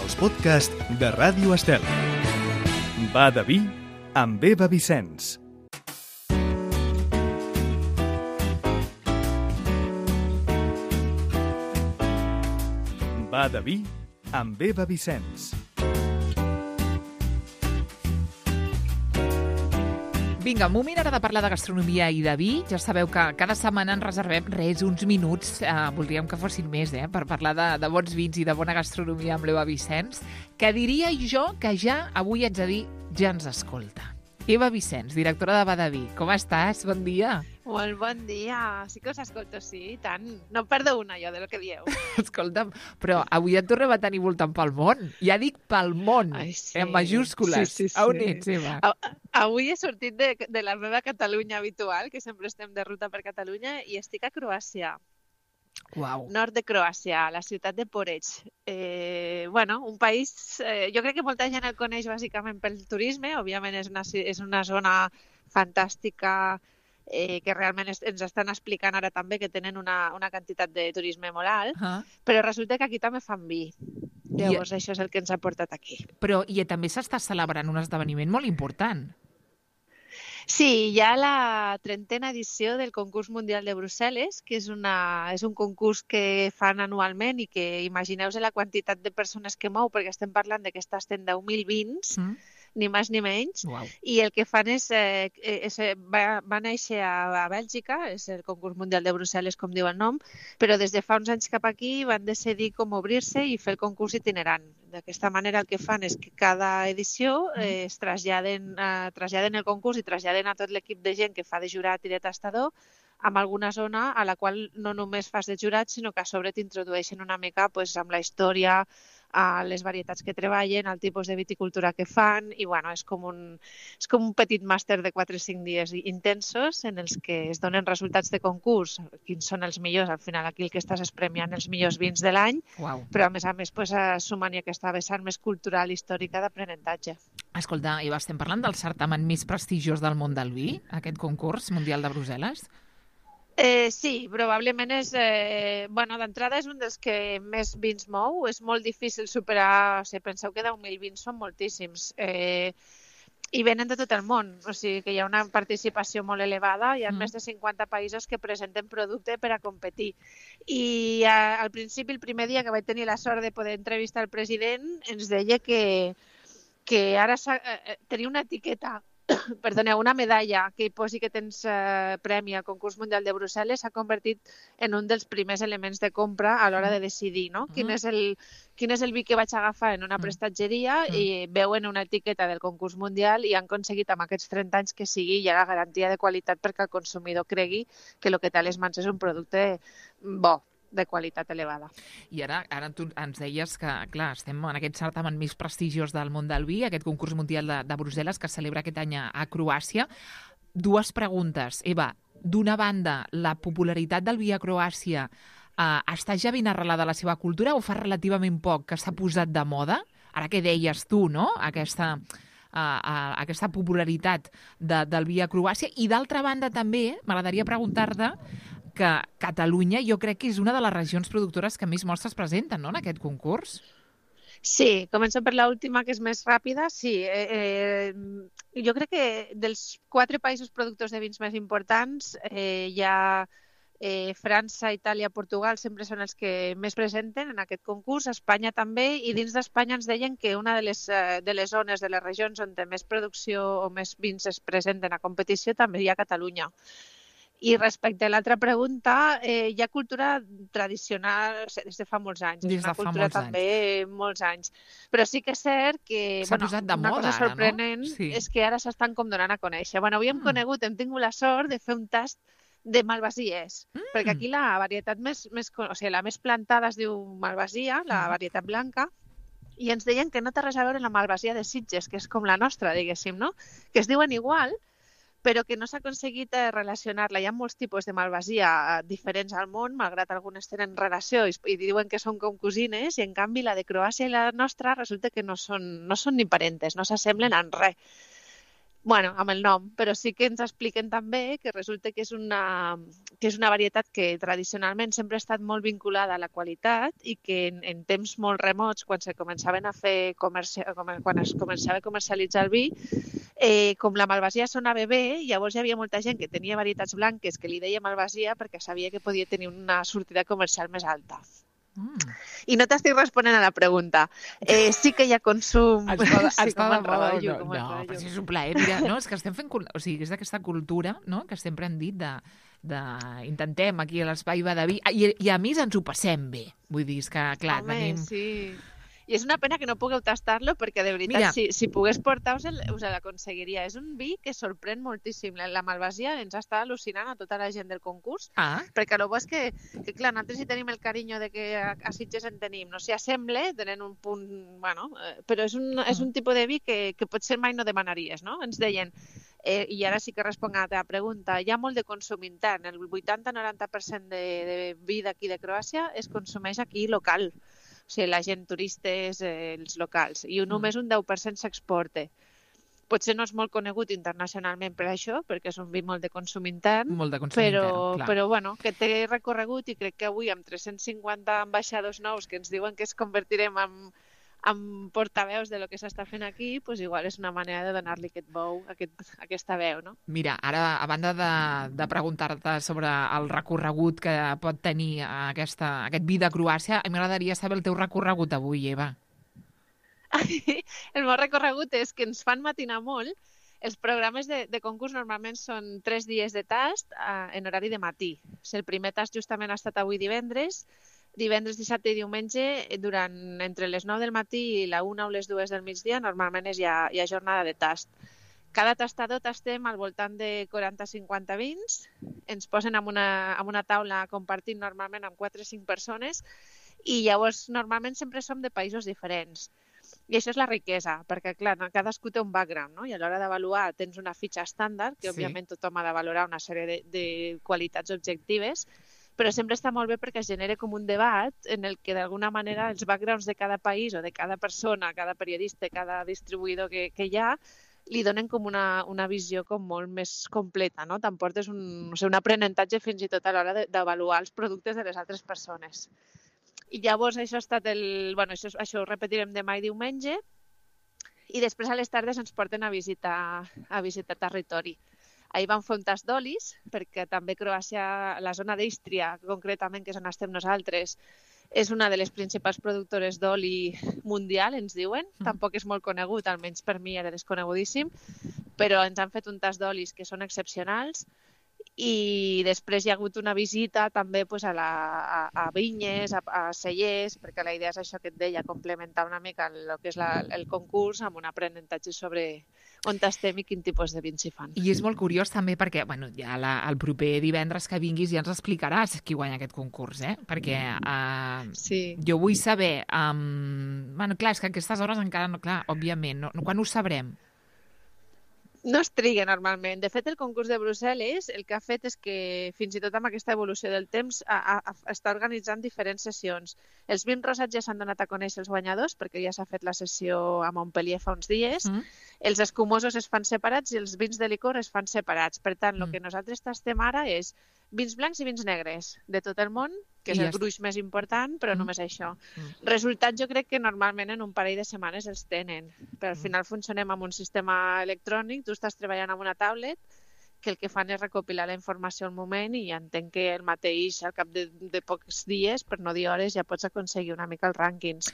els podcasts de Ràdio Estel. Va de vi amb Eva Vicenç. Va de vi amb Eva Vicenç. Vinga, un moment ara de parlar de gastronomia i de vi. Ja sabeu que cada setmana ens reservem uns minuts, voldríem que fossin més, per parlar de bons vins i de bona gastronomia amb l'Eva Vicenç, que diria jo que ja avui haig de dir, ja ens escolta. Eva Vicenç, directora de Va de Vi, com estàs? Bon dia. Molt bon dia. Sí que us escolto, sí, i tant. No em perdo una, jo, del que dieu. Escolta'm, però avui et tornem a tenir voltant pel món. Ja dic pel món, Ai, sí. en majúscules. Sí. On ets, Eva? Avui he sortit de la meva Catalunya habitual, que sempre estem de ruta per Catalunya, i estic a Croàcia. Uau. Nord de Croàcia, a la ciutat de Poreč. Un país, jo crec que molta gent el coneix bàsicament pel turisme, òbviament és una zona fantàstica que realment ens estan explicant ara també que tenen una quantitat de turisme molt alt, però resulta que aquí també fan vi. Llavors això és el que ens ha portat aquí. Però també s'està celebrant un esdeveniment molt important. Sí, hi ha la 30a edició del Concurs Mundial de Brussel·les, que és un concurs que fan anualment i que imagineu-vos la quantitat de persones que mou, perquè estem parlant de que està estent 10.000 vins, ni més ni menys. Uau. I el que fan va néixer a Bèlgica, és el Concurs Mundial de Brussel·les, com diu el nom, però des de fa uns anys cap aquí van decidir com obrir-se i fer el concurs itinerant. D'aquesta manera el que fan és que cada edició es traslladen el concurs i traslladen a tot l'equip de gent que fa de jurat i de tastador amb alguna zona a la qual no només fas de jurat, sinó que a sobre t'introdueixen una mica amb la història, a les varietats que treballen, el tipus de viticultura que fan, i és com un petit màster de 4 o 5 dies intensos en els que es donen resultats de concurs, quins són els millors. Al final aquí el que estàs és premiant els millors vins de l'any, però a més sumant-hi aquesta vessant més cultural, històrica, d'aprenentatge. Escolta, Eva, estem parlant del certamen més prestigiós del món del vi, aquest concurs mundial de Brussel·les? Sí, probablement és... d'entrada és un dels que més vins mou. És molt difícil superar... penseu que 10.000 vins són moltíssims. I venen de tot el món. O sigui que hi ha una participació molt elevada. Hi ha més de 50 països que presenten producte per a competir. I al principi, el primer dia que vaig tenir la sort de poder entrevistar el president, ens deia que ara tenia una etiqueta, una medalla que hi posi que tens premi al Concurs Mundial de Brussel·les s'ha convertit en un dels primers elements de compra a l'hora de decidir, no? Quin és el vi que vaig agafar en una prestatgeria, i veuen una etiqueta del Concurs Mundial i han aconseguit amb aquests 30 anys que sigui ja la garantia de qualitat perquè el consumidor cregui que el que té a les mans és un producte bo, de qualitat elevada. I ara tu ens deies que, clar, estem en aquest certamen més prestigiós del món del vi, aquest concurs mundial de Brussel·les que es celebra aquest any a Croàcia. 2 preguntes. Eva, d'una banda, la popularitat del vi a Croàcia està ja ben arrelada a la seva cultura o fa relativament poc que s'ha posat de moda? Ara que deies tu, no?, aquesta popularitat del vi a Croàcia. I d'altra banda també, m'agradaria preguntar-te que Catalunya jo crec que és una de les regions productores que més mostres presenten, no?, en aquest concurs. Sí, començo per l'última, que és més ràpida. Sí, jo crec que dels 4 països productors de vins més importants hi ha França, Itàlia, Portugal, sempre són els que més presenten en aquest concurs, Espanya també, i dins d'Espanya ens deien que una de les zones, de les regions on més producció o més vins es presenten a competició també hi ha Catalunya. I respecte a l'altra pregunta, hi ha cultura tradicional des de fa molts anys. Des de fa molts també molts anys. Però sí que és cert que s'ha posat de moda, una cosa sorprenent és que ara s'estan com donant a conèixer. Avui hem tingut la sort de fer un tast de malvasies, perquè aquí la varietat la més plantada es diu malvasia, la varietat blanca, i ens deien que no té res a veure amb la malvasia de Sitges, que és com la nostra, diguéssim, no? Que es diuen igual, però que no s'ha aconseguit relacionar-la. Hi ha molts tipus de malvasia diferents al món, malgrat algunes tenen relació i diuen que són com cosines, i en canvi la de Croàcia i la nostra resulta que no són ni parentes, no s'assemblen en res. Bueno, amb el nom, però sí que ens expliquen també que resulta que és una varietat que tradicionalment sempre ha estat molt vinculada a la qualitat i que en temps molt remots, quan es començava a comercialitzar el vi, com la malvasia sonava bé, llavors hi havia molta gent que tenia varietats blanques que li deia malvasia perquè sabia que podia tenir una sortida comercial més alta. I no t'estic responent a la pregunta. Sí que hi ha consum... Està de moda. No, però si és un plaer. Mira, no, és que estem fent... O sigui, és d'aquesta cultura, no?, que sempre hem dit intentem aquí a l'Espai Va de Vi, i a més ens ho passem bé. Vull dir, és que, clar, tenim... Sí. I és una pena que no pugueu tastar-lo perquè, de veritat, si pogués portar-us us l'aconseguiria. És un vi que sorprèn moltíssim. La malvasia ens està al·lucinant a tota la gent del concurs, perquè el bo és que, clar, nosaltres hi tenim el carinyo de que a Sitges en tenim. No s'hi assemble, tenen un punt... Bueno, però és un tipus de vi que potser mai no demanaries, no? Ens deien, i ara sí que responc a la teva pregunta, hi ha molt de consum intern. El 80-90% de vi d'aquí de Croàcia es consumeix aquí local. O sigui, la gent, turistes, els locals. I només un 10% s'exporta. Potser no és molt conegut internacionalment per això, perquè és un vi molt de consum intern. Molt de consum intern, clar. Però bueno, que té recorregut i crec que avui amb 350 ambaixadors nous que ens diuen que es convertirem en portaveus de lo que s'està fent aquí, doncs igual és una manera de donar-li aquest bou, aquesta veu, no? Mira, ara, a banda de preguntar-te sobre el recorregut que pot tenir aquest vi de Croàcia, m'agradaria saber el teu recorregut avui, Eva. El meu recorregut és que ens fan matinar molt. Els programes de concurs normalment són 3 dies de tast en horari de matí. El primer tast justament ha estat avui divendres, dissabte i diumenge, entre les 9 del matí i la 1 o les 2 del migdia, normalment hi ha jornada de tast. Cada tastador tastem al voltant de 40-50 vins, ens posen en una taula compartint normalment amb 4 o 5 persones i llavors normalment sempre som de països diferents. I això és la riquesa, perquè clar, cadascú té un background, no? I a l'hora d'avaluar tens una fitxa estàndard, que òbviament tothom ha de valorar una sèrie de qualitats objectives, però sempre està molt bé perquè es genera com un debat en el que d'alguna manera els backgrounds de cada país o de cada persona, cada periodista, cada distribuïdor que hi ha, li donen com una visió com molt més completa, no? T'emportes un aprenentatge fins i tot a l'hora d'avaluar els productes de les altres persones. I llavors això ha estat això ho repetirem demà i diumenge, i després a les tardes ens porten a visitar territori. Ahir vam fer un tast d'olis, perquè també Croàcia, la zona d'Ístria, concretament, que és on estem nosaltres, és una de les principals productores d'oli mundial, ens diuen. Tampoc és molt conegut, almenys per mi era desconegudíssim, però ens han fet un tast d'olis que són excepcionals. I després hi ha hagut una visita també a vinyes, a cellers, perquè la idea és això que et deia, complementar una mica el que és el concurs amb un aprenentatge sobre on estem i quin tipus de vins s'hi fan. I és molt curiós també perquè ja el proper divendres que vinguis ja ens explicaràs qui guanya aquest concurs, perquè jo vull saber... clar, és que a aquestes hores encara no... Clar, òbviament, quan ho sabrem? No es triga normalment. De fet, el concurs de Brussel·les el que ha fet és que, fins i tot amb aquesta evolució del temps, està organitzant diferents sessions. Els vins rosats ja s'han donat a conèixer els guanyadors, perquè ja s'ha fet la sessió a Montpellier fa uns dies. Els escumosos es fan separats i els vins de licor es fan separats. Per tant, el que nosaltres tastem ara és vins blancs i vins negres de tot el món, que és el gruix més important, però només això. Resultat, jo crec que normalment en un parell de setmanes els tenen, però al final funcionem amb un sistema electrònic, tu estàs treballant amb una tablet, que el que fan és recopilar la informació al moment i entenc que el mateix, al cap de pocs dies, per no dir hores, ja pots aconseguir una mica els rànquings.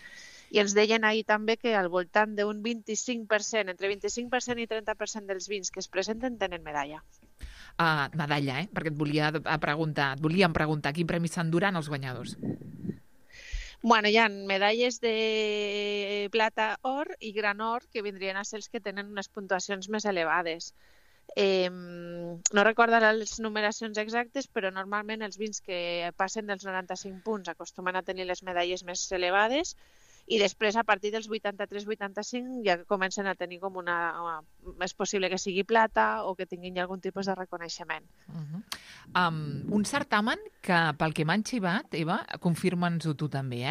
I ens deien ahir també que al voltant d'un 25%, entre 25% i 30% dels vins que es presenten tenen medalla. Medalla, perquè volíem preguntar quin premi s'enduran els guanyadors. Bueno, hi ha medalles de plata, or i gran or, que vindrien a ser els que tenen unes puntuacions més elevades. No recordo les numeracions exactes, però normalment els vins que passen dels 95 punts acostumen a tenir les medalles més elevades i després, a partir dels 83-85, ja comencen a tenir com és possible que sigui plata o que tinguin algun tipus de reconeixement. Un certamen que, pel que m'han xivat, Eva, confirma'ns-ho tu també,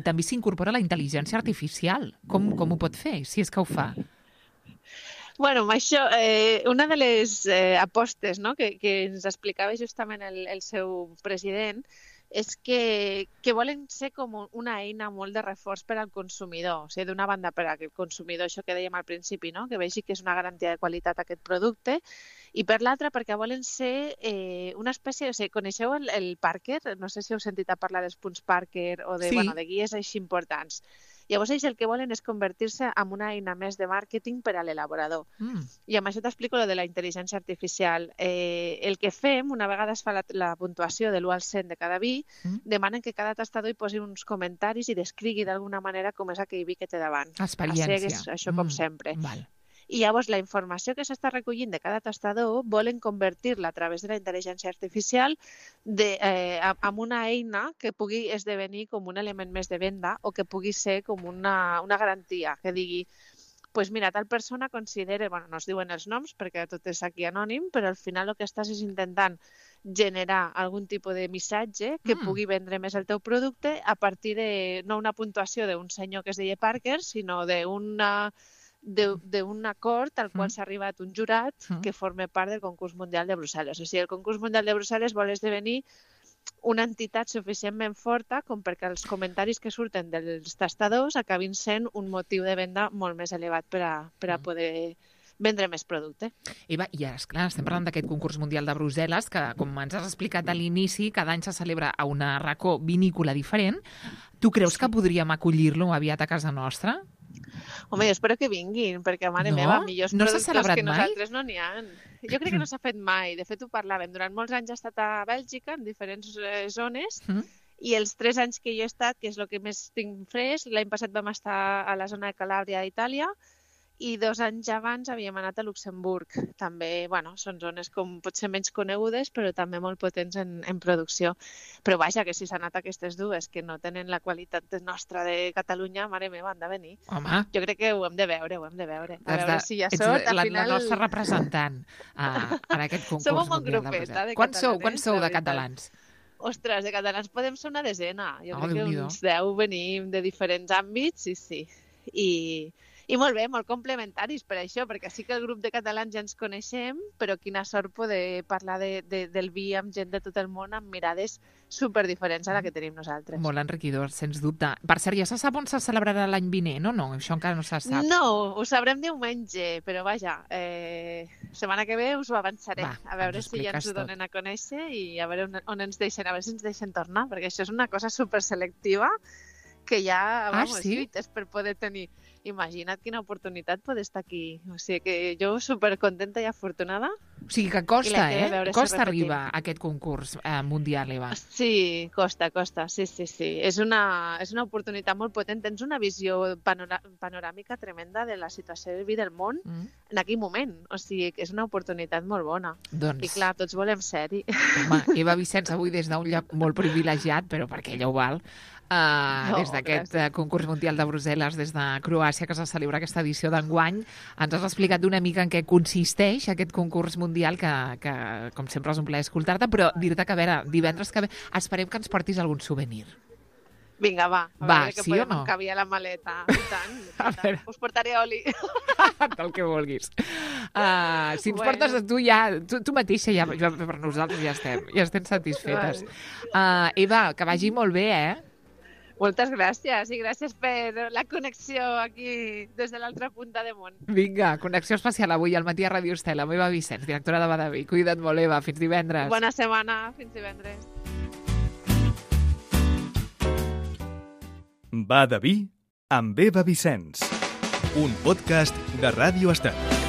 també s'incorpora la intel·ligència artificial. Com ho pot fer, si és que ho fa? Bueno, amb això, una de les apostes, no?, que ens explicava justament el seu president és que volen ser com una eina molt de reforç per al consumidor. O sigui, d'una banda per al consumidor, això que dèiem al principi, no?, que vegi que és una garantia de qualitat aquest producte, i per l'altra perquè volen ser una espècie... O sigui, coneixeu el Parker? No sé si heu sentit a parlar dels punts Parker o de, Sí. bueno, de guies així importants. Llavors, ells el que volen és convertir-se en una eina més de màrqueting per a l'elaborador. I amb això t'explico lo de la intel·ligència artificial. El que fem, una vegada es fa la puntuació de l'1 al 100 de cada vi, demanen que cada tastador hi posi uns comentaris i descrigui d'alguna manera com és aquell vi que té davant. Experiència. Així és això com sempre. Val. I llavors la informació que s'està recollint de cada tastador volen convertir-la a través de la intel·ligència artificial en una eina que pugui esdevenir com un element més de venda o que pugui ser com una garantia, que digui pues mira, tal persona considera, bueno, no es diuen els noms perquè tot és aquí anònim, però al final el que estàs és intentant generar algun tipus de missatge que pugui vendre més el teu producte a partir de, no una puntuació d'un senyor que es deia Parker, sinó d'un acord al qual s'ha arribat un jurat que forma part del concurs mundial de Brussel·les. O sigui, el concurs mundial de Brussel·les vol esdevenir una entitat suficientment forta com perquè els comentaris que surten dels tastadors acabin sent un motiu de venda molt més elevat per a poder vendre més producte. Eva, i ara, esclar, estem parlant d'aquest concurs mundial de Brussel·les, que, com ens has explicat a l'inici, cada any se celebra a una racó vinícola diferent. Tu creus que podríem acollir-lo aviat a casa nostra? Home, jo espero que vinguin, perquè, mare meva, millors productors que nosaltres no n'hi ha. Jo crec que no s'ha fet mai. De fet, ho parlàvem. Durant molts anys he estat a Bèlgica, en diferents zones, i els 3 anys que jo he estat, que és el que més tinc fresc, l'any passat vam estar a la zona de Calàbria, d'Itàlia, i 2 anys abans havíem anat a Luxemburg. També, bueno, són zones com potser menys conegudes, però també molt potents en producció. Però vaja, que si s'han anat aquestes dues, que no tenen la qualitat nostra de Catalunya, mare meva, han de venir. Home. Jo crec que ho hem de veure, A veure si hi ha sort. Ets la nostra representant en aquest concurs Som un bon mundial de grupet, Brussel·les. de Quants sou de catalans? Ostres, de catalans podem ser una desena. Jo crec que Déu-n'hi-do. uns 10 venim de diferents àmbits, sí. I molt bé, molt complementaris per això, perquè sí que el grup de catalans ja ens coneixem, però quina sort poder parlar del vi amb gent de tot el món amb mirades superdiferents a la que tenim nosaltres. Molt enriquidor, sens dubte. Per cert, ja se sap on se celebrarà l'any vinent o no? Això encara no se sap. No, ho sabrem diumenge, però vaja, setmana que ve us ho avançaré. Va, a veure ens si ja ens ho expliques donen a conèixer i a veure on ens deixen, a veure si ens deixen tornar, perquè això és una cosa superselectiva que ja, vamos, lluites per poder tenir. Imagina't quina oportunitat poder estar aquí. O sigui que jo supercontenta i afortunada. O sigui que costa, Costa arribar a aquest concurs mundial, Eva. Sí, costa, sí. És una oportunitat molt potent. Tens una visió panoràmica tremenda de la situació del vi del món en aquell moment. O sigui que és una oportunitat molt bona. Doncs... I clar, tots volem ser-hi. Home, Eva Vicenç avui des d'un lloc molt privilegiat, però perquè ella ho val, des d'aquest concurs mundial de Brussel·les, des de Croàcia, que se celebra aquesta edició d'enguany. Ens has explicat una mica en què consisteix aquest concurs mundial, que com sempre és un plaer escoltar-te, però dir-te que, a veure, divendres que ve esperem que ens portis algun souvenir. Vinga, va. A veure que sí podem o no? encabiar la maleta. I tant. Us portaré oli. El que vulguis. Si ens portes a tu ja, tu mateixa, ja, per nosaltres ja estem satisfetes. Eva, que vagi molt bé, Moltes gràcies i gràcies per la connexió aquí des de l'altra punta de món. Vinga, connexió especial avui al matí a Ràdio Estel, amb Eva Vicenç, directora de Badaví. Cuida't molt, Eva. Fins divendres. Bona setmana. Fins divendres. Badaví amb Eva Vicenç. Un podcast de Ràdio Estel.